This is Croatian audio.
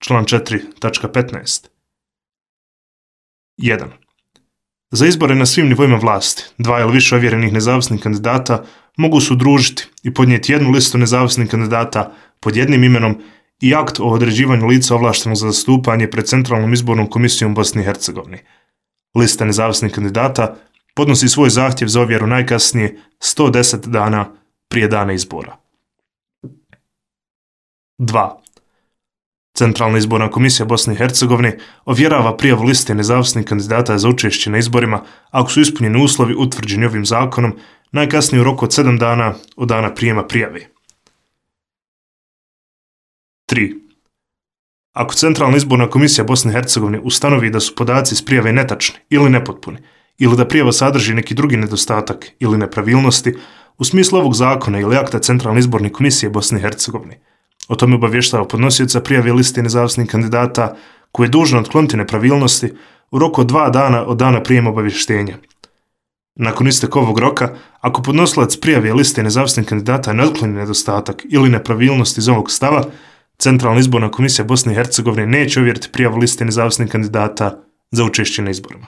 član 4.15. 1. Za izbore na svim nivoima vlasti, 2 ili više ovjerenih nezavisnih kandidata mogu se udružiti i podnijeti jednu listu nezavisnih kandidata pod jednim imenom i akt o određivanju lica ovlaštenog za zastupanje pred Centralnom izbornom komisijom Bosne i Hercegovine. Lista nezavisnih kandidata podnosi svoj zahtjev za ovjeru najkasnije 110 dana prije dana izbora. 2. Centralna izborna komisija Bosne i Hercegovine ovjerava prijavu liste nezavisnih kandidata za učešće na izborima ako su ispunjeni uslovi utvrđeni ovim zakonom najkasnije u roku od 7 dana od dana prijema prijave. 3. Ako Centralna izborna komisija Bosne i Hercegovine ustanovi da su podaci iz prijave netačni ili nepotpuni, ili da prijava sadrži neki drugi nedostatak ili nepravilnosti u smislu ovog zakona ili akta Centralne izborne komisije Bosne i Hercegovine, o tome obavještava podnosioca prijave liste nezavisnih kandidata koji je dužan otkloniti nepravilnosti u roku od 2 dana od dana prijema obavještenja. Nakon isteka ovog roka, ako podnosilac prijave liste nezavisnih kandidata ne otkloni nedostatak ili nepravilnost iz ovog stava, Centralna izborna komisija Bosne i Hercegovine neće ovjeriti prijavu liste nezavisnih kandidata za učešće na izborima.